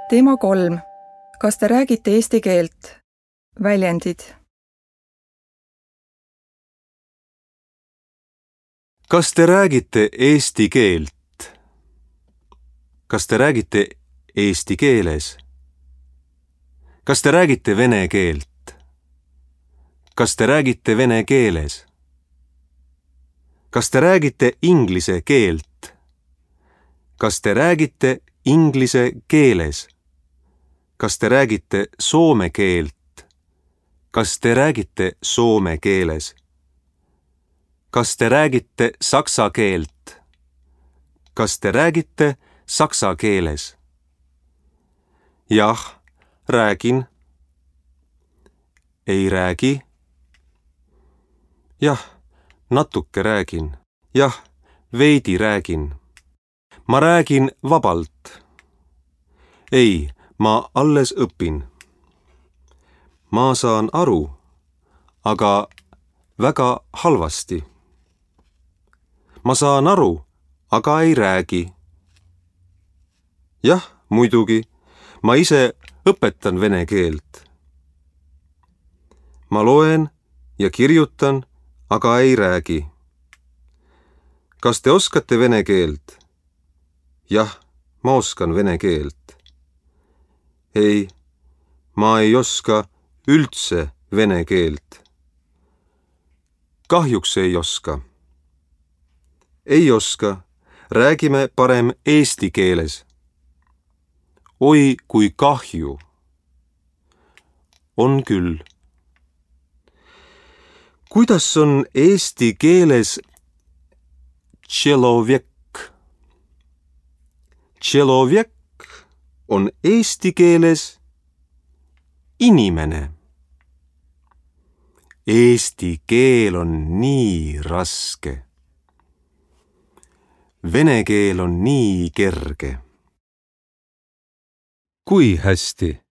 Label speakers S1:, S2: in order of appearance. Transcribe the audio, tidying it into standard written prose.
S1: Teema 3. Kas te räägite eesti keelt? Väljendid.
S2: Kas te räägite eesti keelt? Kas te räägite eesti keeles? Kas te räägite vene keelt? Kas te räägite vene keeles? Kas te räägite inglise keelt? Kas te räägite inglise keeles? Kas te räägite soome keelt? Kas te räägite soome keeles? Kas te räägite saksa keelt? Kas te räägite saksa keeles? Jah, räägin. Ei räägi. Jah, natuke räägin. Jah, veidi räägin. Ma räägin vabalt. Ei, ma alles õpin. Ma saan aru, aga väga halvasti. Ma saan aru, aga ei räägi. Jah, muidugi, ma ise õpetan vene keelt. Ma loen ja kirjutan, aga ei räägi. Kas te oskate vene keelt? Jah, ma oskan vene keelt. Ei, ma ei oska üldse vene keelt. Kahjuks ei oska. Ei oska, räägime parem eesti keeles. Oi, kui kahju. On küll. Kuidas on eesti keeles človek? Človek on eesti keeles inimene. Eesti keel on nii raske. Vene keel on nii kerge. Kui hästi?